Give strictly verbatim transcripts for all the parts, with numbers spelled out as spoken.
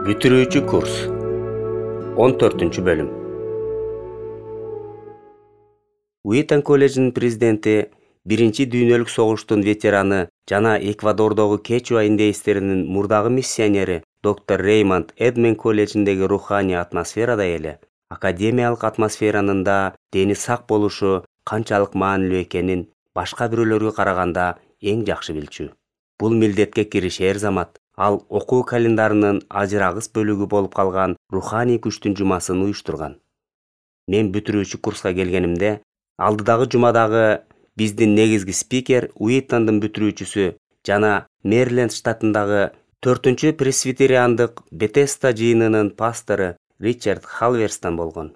Бүтүрүүчү курс. он төртүнчү бөлүм. Уитон колледжинин президенти, биринчи дүйнөлүк согуштун ветераны жана Эквадордогу Кечуа индейстеринин мурдагы миссионери доктор Реймонд Эдмен колледжиндеги руханий атмосферада эле академиялык атмосферанын да дени сак болушу канчалык маанилүү экенин башка бирөөлөргө караганда эң жакшы билчү. Бул милдетке киришер замат ал окуу календарынын ажырагыс бөлүгү болуп калган руханий күчтүн жумасын уюштурган. Мен бүтүрүүчү курска келгенимде, алдыдагы жумадагы биздин негизги спикер Уитондун бүтүрүүчүсү жана Мэриленд штатындагы төртүнчү пресвитериандык Бетеста жыйынынын пастору Ричард Халверстон болгон.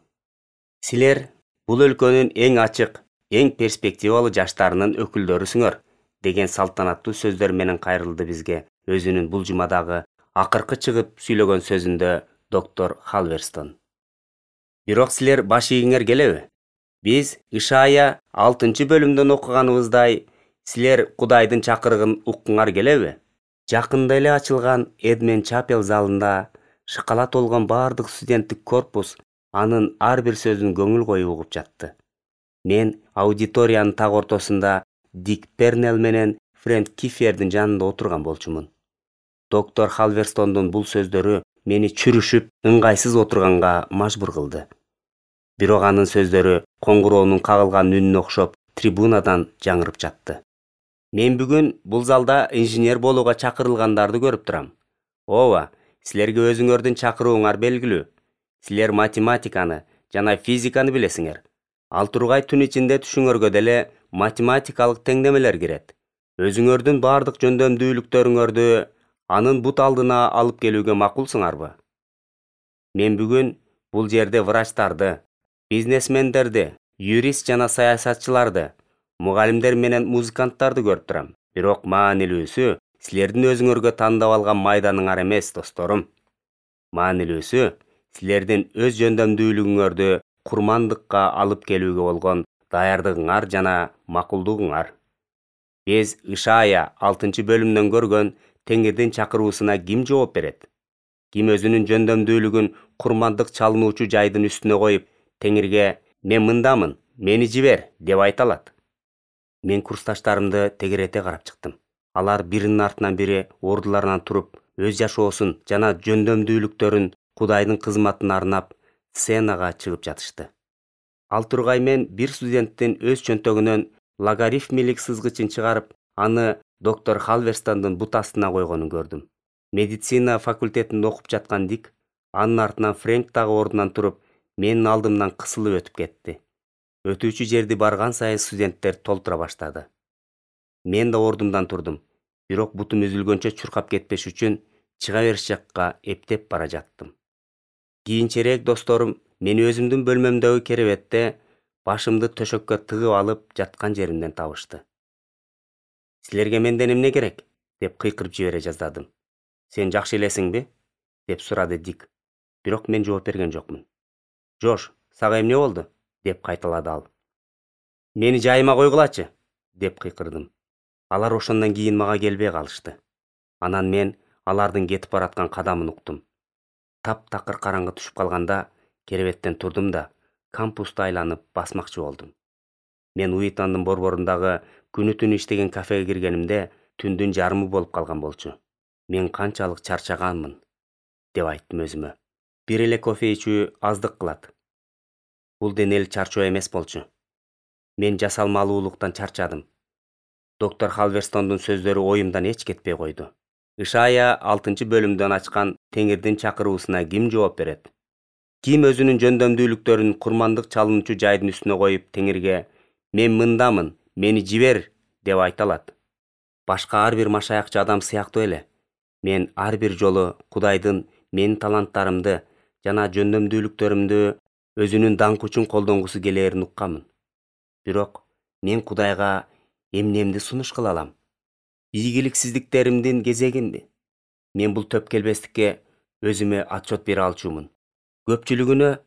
Силер бул өлкөнүн эң ачык, эң перспективалуу жаштарынын өкүлдөрүсүңөр деген салтанаттуу сөздөр менен кайрылды бизге өзүнүн бул жумадагы акыркы чыгып сүйлөгөн сөзүндө доктор Халверстон. Бирок силер баш ийиңер келеби? Биз Ишая алтынчы бөлүмдөн окуганыбыздай, силер Кудайдын чакырыгын уккуңар келеби? Жакында эле ачылган Эдмен Чапел залында шыкала толгон бардык студенттик корпус анын ар бир сөзүн көңүл коюп угуп жатты. Мен аудиториянын так ортосунда Дик Пернел менен Фрэнк Кифердин жанында отурган болчумун. Доктор Халверстондун бул сөздөрү мени чүрүшүп, ыңгайсыз отурганга мажбур кылды. Бирок анын сөздөрү коңгуроонун кагылган үнүнө окшоп трибунадан жаңырып жатты. Мен бүгүн бул залда инженер болууга чакырылгандарды көрүп турам. Ооба, силерге өзүңөрдүн чакырууңар белгилүү. Силер математиканы жана физиканы билесиңер. Ал тургай түн ичинде түшүңөргө деле математикалык теңдемелер кирет. Өзүңөрдүн бардык жөндөмдүүлүктөрүңөрдү анын бут алдына алып келүүгө макулсуңарбы? Мен бүгүн бул жерде врачтарды, бизнесмендерди, юрист жана саясатчыларды, мугалимдер менен музыканттарды көрүп турам. Бирок маанилүүсү силердин өзүңөргө тандап алган майданыңар эмес, досторум. Маанилүүсү силердин өз жөндөмдүүлүгүңөрдү курмандыкка алып келүүгө болгон даярдыгыңар жана макулдугуңар. Биз Ишая алтынчы бөлүмдөн көргөн Теңирдин чакыруусуна ким жооп берет? Ким өзүнүн жөндөмдүүлүгүн курмандык чалынуучу жайдын үстүнө коюп, Теңирге «Мен мындамын, мени жибер» деп айта алат? Мен курсташтарымды тегерете карап чыктым. Алар биринин артынан бири ордуларынан туруп, өз жашоосун жана жөндөмдүүлүктөрүн Кудайдын кызматына арнап, сценага чыгып жатышты. Ал тургай мен бир студенттин өз чөнтөгүнөн логарифмилик сызгычын чыгарып, аны доктор Халверстондун бут астына койгонун көрдүм. Медицина факультетинде окуп жаткан Дик, анын артынан Фрэнк дагы ордунан туруп, менин алдымдан кысылып өтүп кетти. Өтүүчү жерди барган сайын студенттер толтура баштады. Мен да ордумдан турдум, бирок бутум үзүлгөнчө чуркап кетпеш үчүн чыга бериш жакка эптеп бара жаттым. Кийинчерээк досторум мени өзүмдүн бөлмөмдөгү керебетте башымды төшөккө тыгып алып жаткан жеримден табышты. «Силерге менден эмне керек?» деп кыйкырып жибере жаздадым. «Сен жакшы элесиңби?» деп сурады Дик. Бирок мен жооп берген жокмун. «Жош, сага эмне болду?» деп кайталады ал. «Мени жайыма койгулачы!» деп кыйкырдым. Алар ошондон кийин мага келбей калышты. Анан мен алардын кетип бараткан кадамын уктум. Таптакыр караңгы түшүп калганда керебеттен турдум да кампусту айланып басмакчы болдум. Мен Уитондун борборундагы күнү түнү иштеген кафеге киргенимде түндүн жарымы болуп калган болчу. Мен канчалык чарчаганмын деп айттым өзүмө. Бир эле кофе ичүү аздык кылат. Бул денелик чарчоо эмес болчу. Мен жасалмалуулуктан чарчадым. Доктор Халверстондун сөздөрү оюмдан эч кетпей койду. Ишая алтынчы бөлүмдөн ачкан Теңирдин чакыруусуна ким жооп берет? Ким өзүнүн жөндөмдүүлүктөрүн курмандык чалынуучу жайдын үстүнө коюп, Теңирге «Мен мындамын, мени жибер» деп айта алат? Башка ар бир машаякчы адам сыяктуу эле. Мен ар бир жолу Кудайдын менин таланттарымды жана жөндөмдүүлүктөрүмдү өзүнүн даңкы үчүн колдонгусу келээрин укканмын. Бирок мен Кудайга эмнемди сунуш кыла алам? Ийгиликсиздиктеримдин кезегинби? Мен бул төп келбестикке өзүмө отчет бере алчумун. Көпчүлүгүнө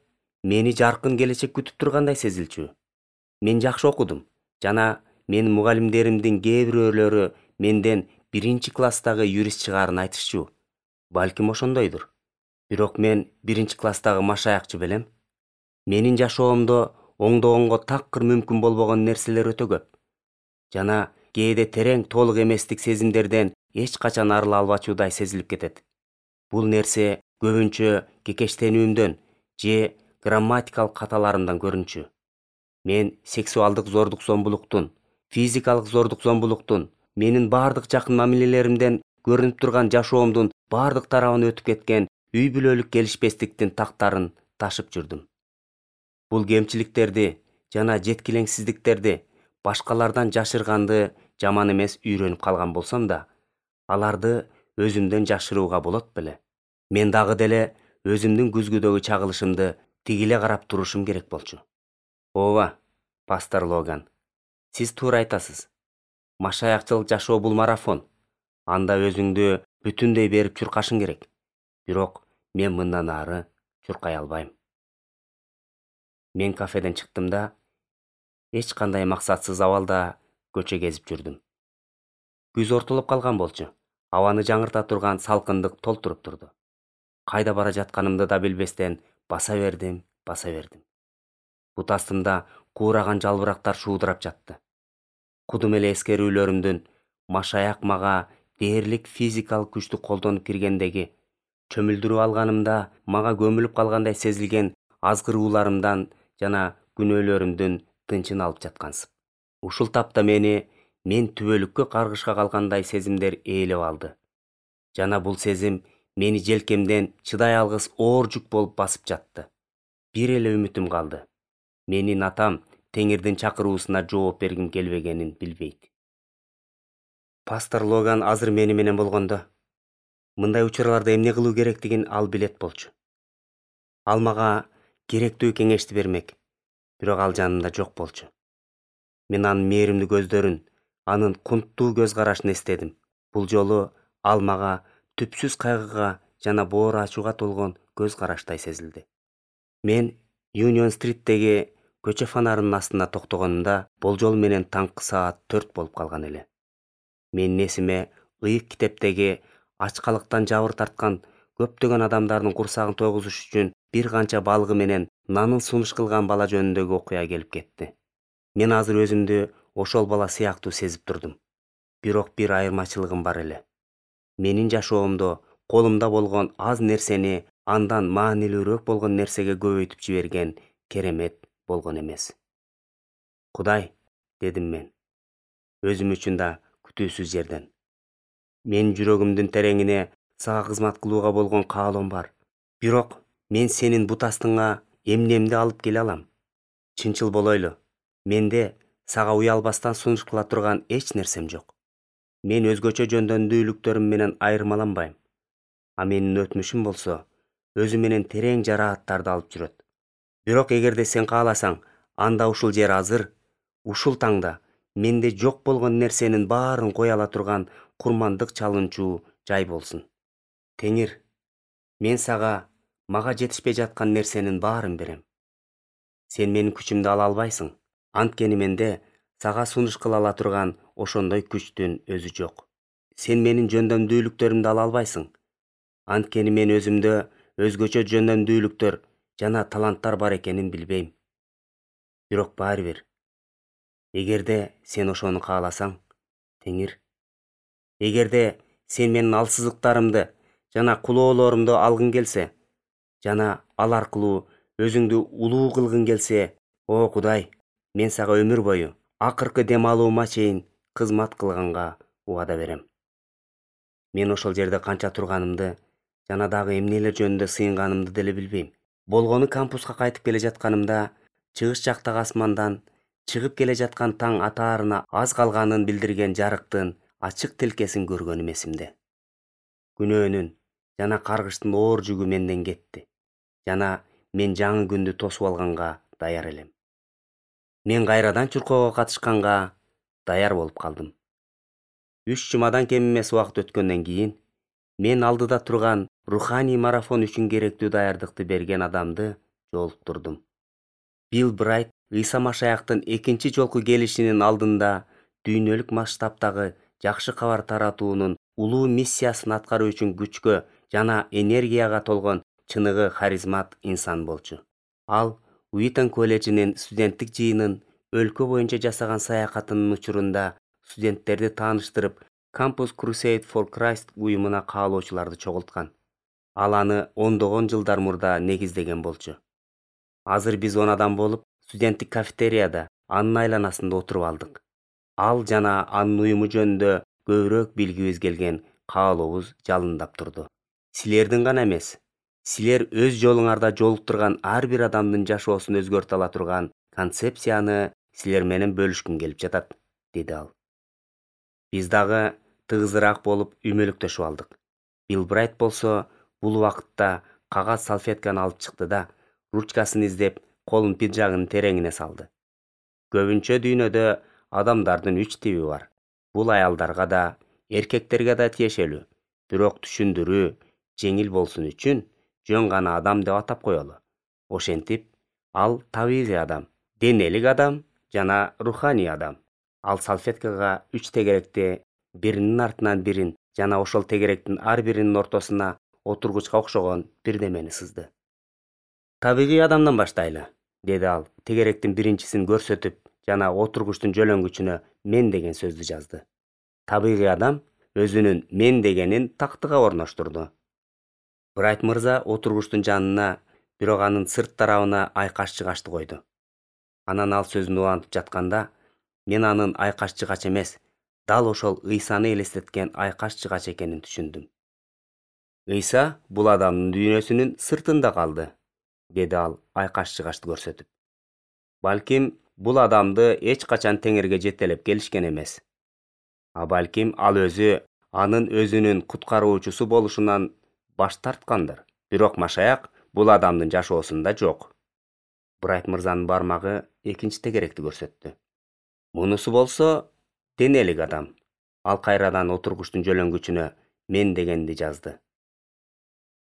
мени жаркын келечек күтүп тургандай сезилчү. Мен жакшы окудум жана менин мугалимдеримдин кээ бирөөлөрү менден биринчи класстагы юрист чыгаарын айтышчу. Балким ошондойдур. Бирок мен биринчи класстагы машаякчы белем. Менин жашоомдо оңдогонго такыр мүмкүн болбогон нерселер өтө көп. Жана кээде терең толук эместик сезимдерден эч качан арыла албачудай сезилип кетет. Бул нерсе көбүнчө кекештенүүмдөн же грамматикалык каталарымдан көрүнчү. Мен сексуалдык зордук зомбулуктун, физикалык зордук зомбулуктун, менин бардык жакын мамилелеримден көрүнүп турган жашоомдун бардык тарабын өтүп кеткен үй бүлөлүк келишпестиктин тактарын ташып жүрдүм. Бул кемчиликтерди жана жеткилеңсиздиктерди башкалардан жашырганды жаман эмес үйрөнүп калган болсом да, аларды өзүмдөн жашырууга болот беле. Мен дагы деле өзүмдүн күзгүдөгү чагылышымды тигиле карап турушум керек болчу. Ооба, пастор Логан, сиз туура айтасыз. Машаякчылык жашоо бул марафон. Анда өзүңдү бүтүндөй берип чуркашың керек. Бирок мен мындан ары чуркай албайм. Мен кафеден чыктым да, эч кандай максатсыз абалда көчө кезип жүрдүм. Күз ортолоп калган болчу. Абаны жаңырта турган салкындык толтуруп турду. Кайда бара жатканымды да билбестен баса бердим, баса бердим. Бут астымда куураган жалбырактар шуудурап жатты. Кудум эле эскерүүлөрүмдүн машаяк мага дээрлик физикалык күчтү колдонуп киргендеги, чөмүлдүрүп алганымда мага көмүлүп калгандай сезилген азгырууларымдан жана күнөөлөрүмдүн тынчын алып жаткансып. Ушул тапта мени мен түбөлүккө каргышка калгандай сезимдер ээлеп алды. Жана бул сезим мени желкемден чыдай алгыс оор жүк болуп басып жатты. Бир эле үмүтүм калды. Менин атам Теңирдин чакыруусуна жооп бергим келбегенин билбейт. Пастор Логан азыр мени менен болгондо, мындай учурларда эмне кылуу керектигин ал билет болчу. Ал мага керектүү кеңешти бермек, бирок ал жанымда жок болчу. Мен анын мээримдүү көздөрүн, анын кунттуу көз карашын эстедим. Бул жолу ал мага түпсүз кайгыга жана боор ачууга толгон көз караштай сезилди. Мен Union Street'теги көчө фонарынын астына токтогонумда болжол менен таңкы саат төрт болуп калган эле. Менин эсиме ыйык китептеги ачкалыктан жабыр тарткан көптөгөн адамдардын курсагын тойгузуш үчүн бир канча балыгы менен нанын сунуш кылган бала жөнүндөгү окуя келип кетти. Мен азыр өзүмдү ошол бала сыяктуу сезип турдум. Бирок бир айырмачылыгым бар эле. Менин жашоомдо колумда болгон аз нерсени андан маанилүүрөөк болгон нерсеге көбөйтүп жиберген керемет болгон эмес. Кудай, дедим мен, өзүм үчүн да күтүүсүз жерден. Менин жүрөгүмдүн тереңине сага кызмат кылууга болгон каалоом бар. Бирок мен сенин бут астыңа эмнемди алып келе алам? Чынчыл болойлу, менде сага уялбастан сунуш кыла турган эч нерсем жок. Мен өзгөчө жөндөмдүүлүктөрүм менен айырмаланбайм. А менин өтмүшүм болсо, өзү менен терең жарааттарды алып жүрөт. Бирок эгерде сен кааласаң, анда ушул жер азыр, ушул таңда менде жок болгон нерсенин баарын кое ала турган курмандык чалынчуу жай болсун. Теңир, мен сага мага жетишпей жаткан нерсенин баарын берем. Сен менин күчүмдү ала албайсың. Анткени менде сага сунуш кыла ала турган ошондой күчтүн өзү жок. Сен менин жөндөмдүүлүктөрүмдү ала албайсың. Анткени мен өзүмдө өзгөчө жөндөмдүүлүктөр жана таланттар бар экенин билбейм. Бирок баары бир. Эгерде сен ошону кааласаң, Теңир, эгерде сен менин алсыздыктарымды жана кулоолорумду алгың келсе, жана ал аркылуу өзүңдү улуу кылгың келсе, о Кудай, мен сага өмүр бою, акыркы дем алуума чейин кызмат кылганга убада берем. Мен ошол жерде канча турганымды жана дагы эмнелер жөнүндө сыйынганымды деле билбейм. Болгону кампуска кайтып келе жатканымда, чыгыш жактагы асмандан чыгып келе жаткан таң атаарына аз калганын билдирген жарыктын ачык тилкесин көргөнүм эсимде. Күнөөнүн жана каргыштын оор жүгү менден кетти, жана мен жаңы күндү тосуп алганга даяр элем. Мен кайрадан чуркоого катышканга даяр болуп калдым. Үч жумадан кем эмес убакыт өткөндөн кийин мен алдыда турган руханий марафон үчүн керектүү даярдыкты берген адамды жолуктурдум. Билл Брайт Ыйса Машаяктын экинчи жолку келишинин алдында дүйнөлүк масштабтагы жакшы кабар таратуунун улуу миссиясын аткаруу үчүн күчкө жана энергияга толгон чыныгы харизмат инсан болчу. Ал Уитон колледжинин студенттик жыйынын өлкө боюнча жасаган саякатынын учурунда студенттерди тааныштырып, Campus Crusade for Christ уюмуна каалоочуларды чогулткан. Ал аны ондогон жылдар мурда негиздеген болчу. Азыр биз он адам болуп, студенттик кафетерияда анын айланасында отуруп алдык. Ал жана анын уюму жөнүндө көбүрөөк билгибиз келген каалообуз жалындап турду. Силердин гана эмес, силер өз жолуңарда жолуктурган ар бир адамдын жашоосун өзгөртө ала турган концепцияны силер менен бөлүшкүм келип жатат, деди ал. Биз дагы тыгызыраак болуп үймөлүктөшүп алдык. Билл Брайт болсо бул убакытта кагаз салфетканы алып чыкты да, ручкасын издеп, колун пиджагынын тереңине салды. Көбүнчө дүйнөдө адамдардын үч тиби бар. Бул аялдарга да, эркектерге да тиешелүү. Бирок түшүндүрүү жеңил болсун үчүн жөн гана адам деп атап коелу. Ошентип, ал табигый адам, денелик адам жана руханий адам. Ал салфеткага үч тегеректи биринин артынан бирин жана ошол тегеректин ар биринин ортосуна отургучка окшогон бирдемени сызды. Табигый адамдан баштайлы, деди ал, тегеректин биринчисин көрсөтүп жана отургучтун жөлөнгүчүнө мен деген сөздү жазды. Табигый адам өзүнүн мен дегенин тактыга орноштурду. Брайт мырза отургучтун жанына, бирок анын сырт тарабына айкаш-чыгачты койду. Анан ал сөзүн улантып жатканда, мен анын айкаш-чыгач эмес, дал ошол Ыйсаны элестеткен айкаш-чыгач экенин түшүндүм. Ыйса бул адамдын дүйнөсүнүн сыртында калды, деди ал айкаш-чыгачты көрсөтүп. Балким, бул адамды эч качан теңирге жетелеп келишкен эмес. А балким ал өзү анын өзүнүн куткаруучусу болушунан баш тарткандыр. Бирок Машаяк бул адамдын жашоосунда жок. Брайт мырзанын бармагы экинчи тегеректи көрсөттү. Мунусу болсо денелик адам. Ал кайрадан отургучтун жөлөнгүчүнө мен дегенди жазды.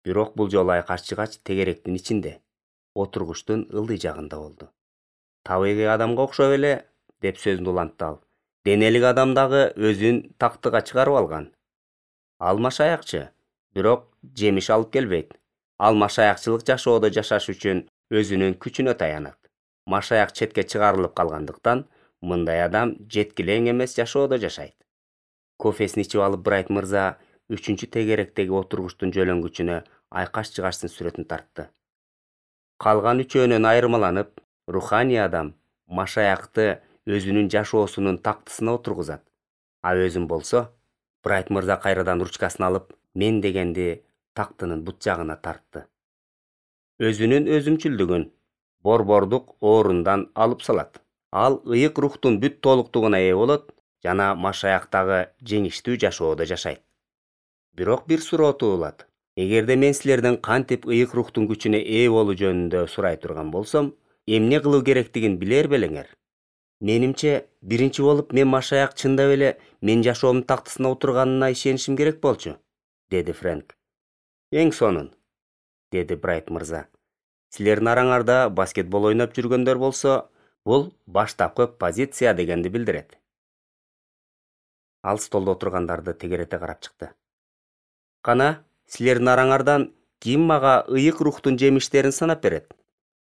Бирок бул жолу айкаш-чыгач тегеректин ичинде, отургучтун ылдый жагында болду. Табигый адамга окшоп эле, деп сөзүн улантты ал. Денелик адам дагы өзүн тактыга чыгарып алган. Ал Машаякчы, бирок жемиш алып келбейт. Ал машаякчылык жашоодо жашаш үчүн өзүнүн күчүнө таянат. Машаяк четке чыгарылып калгандыктан, мындай адам жеткилең эмес жашоодо жашайт. Кофесин ичип алып Брайт мырза үчүнчү тегеректеги отургучтун жөлөнгүчүнө айкаш-чыгачтын сүрөтүн тартты. Калган үчөөнөн айырмаланып, руханий адам Машаякты өзүнүн жашоосунун тактысына отургузат. А өзүм болсо, Брайт мырза кайрадан ручкасын алып, мен дегенди тактынын бут жагына тартты. Өзүнүн өзүмчүлдүгүн, борбордук орундан алып салат. Ал ыйык рухтун бүт толуктугуна ээ болот жана Машаяктагы жеңиштүү жашоодо жашайт. Бирок бир суроо туулат. Эгерде мен силерден кантип ыйык рухтун күчүнө ээ болуу жөнүндө сурай турган болсом, эмне кылуу керектигин билер белеңер? Менимче, биринчи болуп мен Машаяк чындап эле мен жашоомдун тактысына отурганына ишенишим керек болчу, деди Фрэнк. Эң сонун, деди Брайт мырза. Силердин араңарда баскетбол ойноп жүргөндөр болсо, бул баштапкы позиция дегенди билдирет. Ал столдо отургандарды тегерете карап чыкты. Кана, силердин араңардан ким мага ыйык рухтун жемиштерин санап берет?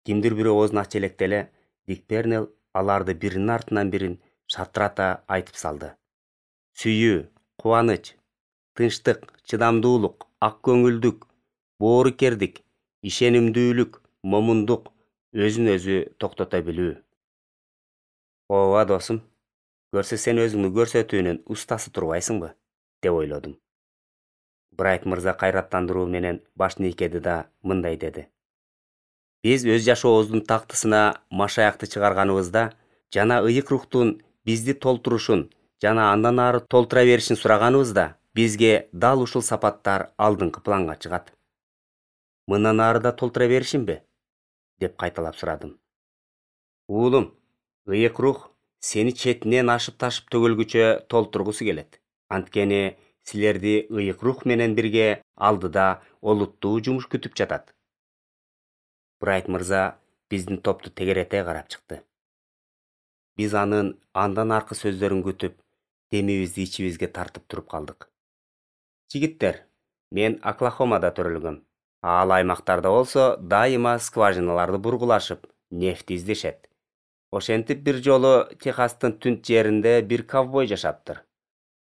Кимдир бирөө оозун ача электе эле Дик Пернел аларды биринин артынан бирин шатырата айтып салды. Сүйүү, кубаныч, тынчтык, чыдамдуулук, ак көңүлдүк, боорукердик, ишенимдүүлүк, момундук, өзүн өзү токтото билүү. Ооба досум, көрсө сен өзүңдү көрсөтүүнүн устасы турбайсыңбы, деп ойлодум. Брайт мырза кайраттандыруу менен башын ийкеди да мындай деди. Биз өз жашообуздун тактысына Машаякты чыгарганыбызда жана ыйык рухтун бизди толтурушун жана андан ары толтура беришин сураганыбызда бизге дал ушул сапаттар алдыңкы планга чыгат. Мындан ары да толтура беришимби? Деп кайталап сурадым. Уулум, ыйык рух сени четинен ашып ташып төгүлгүчө толтургусу келет. Анткени силерди ыйык рух менен бирге алдыда олуттуу жумуш күтүп жатат. Брайт мырза биздин топту тегерете карап чыкты. Биз анын андан аркы сөздөрүн күтүп, демибизди ичибизге тартып туруп калдык. Жигиттер, мен Оклахомада төрөлгөм. Ал аймактарда болсо дайыма скважиналарды бургулашып, нефть издешет. Ошентип бир жолу Техастын түнт жеринде бир ковбой жашаптыр.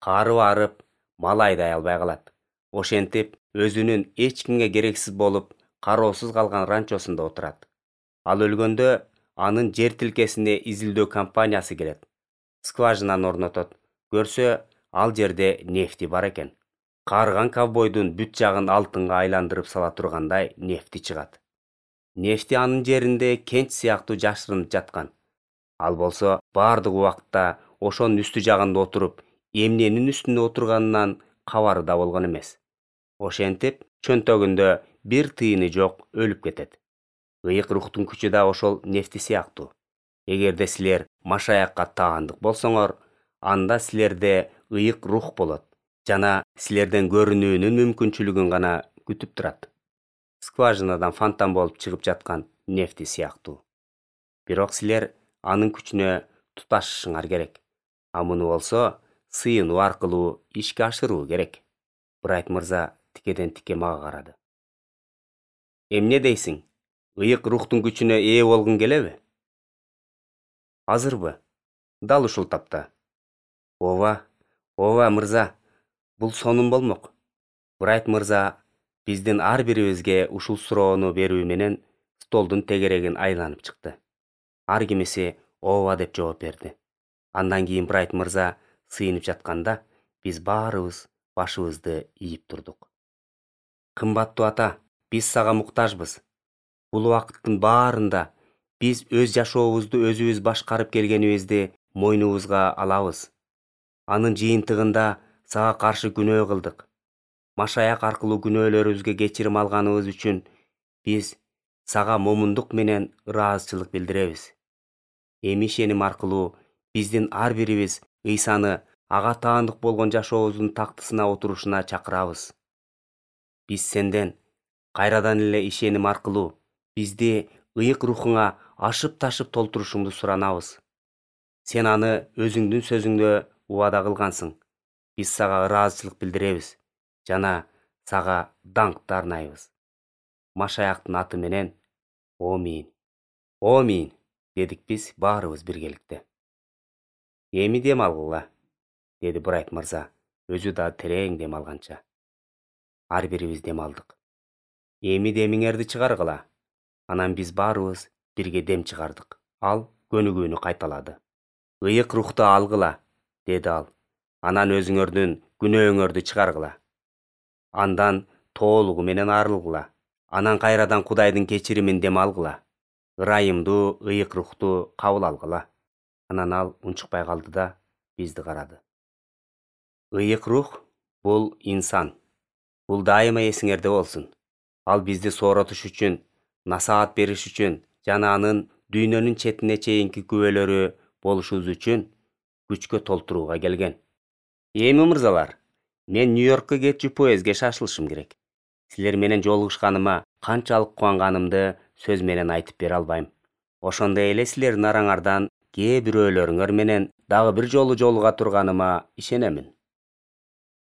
Кары барып, мал айдай албай калат. Ошентип өзүнүн эч кимге керексиз болуп, кароосуз калган ранчосунда отурат. Ал өлгөндө анын жер тилкесине изилдөө компаниясы келет. Скважинаны орнотот. Көрсө, ал жерде нефти бар экен. Карыган ковбойдун бүт жагын алтынга айландырып сала тургандай нефти чыгат. Нефти анын жеринде кенч сыяктуу жашырынып жаткан. Ал болсо бардык убакытта ошонун үстү жагында отуруп, эмненин үстүндө отурганынан кабары да болгон эмес. Ошентип, чөнтөгүндө бир тыйыны жок өлүп кетет. Ыйык рухтун күчү да ошол нефти сыяктуу. Эгерде силер машаякка таандык болсоңор, анда силерде ыйык рух болот жана силерден көрүнүүнүн мүмкүнчүлүгүн гана күтүп турат. Скважинадан фонтан болуп чыгып жаткан нефти сыяктуу. Бирок силер анын күчүнө туташышыңар керек. А муну болсо сыйынуу аркылуу ишке ашыруу керек. Брайт мырза тикеден тике мага карады. Эмне дейсиң? Ыйык рухтун күчүнө ээ болгуң келеби? Азырбы? Дал ушул тапта. Ооба, ооба мырза, бул сонун болмок. Брайт мырза биздин ар бирибизге ушул суроону берүү менен столдун тегерегин айланып чыкты. Ар кимиси ооба деп жооп берди. Андан кийин Брайт мырза сыйынып жатканда, биз баарыбыз башыбызды ийип турдук. Кымбаттуу ата, биз сага муктажбыз. Бул убакыттын баарында биз өз жашообузду өзүбүз башкарып келгенибизди мойнубузга алабыз. Анын жыйынтыгында сага каршы күнөө кылдык. Машаяк аркылуу күнөөлөрүбүзгө кечирим алганыбыз үчүн биз сага момундук менен ыраазычылык билдиребиз. Эми ишеним аркылуу биздин ар бирибиз Ыйсаны ага таандык болгон жашообуздун тактысына отурушуна чакырабыз. Биз сенден кайрадан эле ишеним аркылуу бизди ыйык рухуңа ашып-ташып толтурушуңду суранабыз. Сен аны өзүңдүн сөзүңдө убада кылгансың. Биз сага ыраазычылык билдиребиз жана сага даңкты арнайбыз. Машаяктын аты менен, Омин. Омин, дедик биз баарыбыз биргеликте. Эми дем алгыла, деди Брайт мырза, өзү да терең дем алганча. Ар бирибиз дем алдык. Эми демиңерди чыгаргыла. Анан биз баарыбыз бирге дем чыгардык. Ал көнүгүүнү кайталады. Ыйык рухту алгыла, деди ал. Анан өзүңөрдүн күнөөңөрдү чыгаргыла. Андан тоолугу менен арылгыла. Анан кайрадан Кудайдын кечиримин дем алгыла. Ырайымдуу ыйык рухту кабыл алгыла. Анан ал унчукпай калды да бизди карады. Ыйык рух бул инсан. Бул дайыма эсиңерде болсун. Ал бизди сооротуш үчүн, насаат бериш үчүн жана анын дүйнөнүн четине чейинки күбөлөрү болушубуз үчүн күчкө толтурууга келген. Эми мырзалар, мен Нью-Йоркко кетчү поездге шашылышым керек. Силер менен жолугушканыма канчалык кубанганымды сөз менен айтып бере албайм. Ошондой эле силердин араңардан кээ бирөөлөрүңөр менен дагы бир жолу жолуга турганыма ишенемин.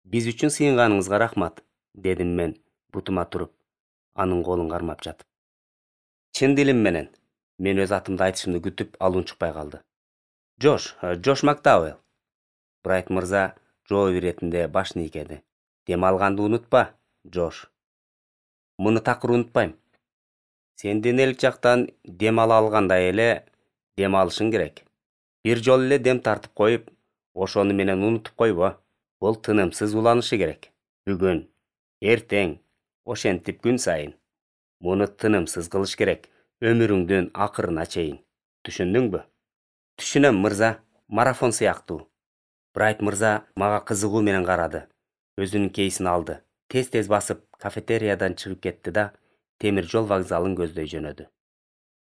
Биз үчүн сыйынганыңызга рахмат, дедим мен бутума туруп, анын колун кармап жатып. Чын дилим менен, мен өз атымды айтышымды күтүп, ал унчукпай калды. Джош, Джош Макдауэлл. Брайт мырза жооп иретинде башын ийкеди. Дем алганды унутпа, Джош. Муну такыр унутпайм. Сен денелик жактан дем ала алгандай эле дем алышың керек. Бир жолу эле дем тартып коюп, ошону менен унутуп койбо. Бул тынымсыз уланышы керек. Бүгүн, эртең, ошентип күн сайын. Муну тынымсыз кылыш керек, өмүрүңдүн акырына чейин. Түшүндүңбү? Түшүнөм, мырза. Марафон сыяктуу. Брайт мырза мага кызыгуу менен карады. Өзүнүн кейсин алды. Тез-тез басып, кафетериядан чыгып кетти да темир жол вокзалын көздөй жөнөдү.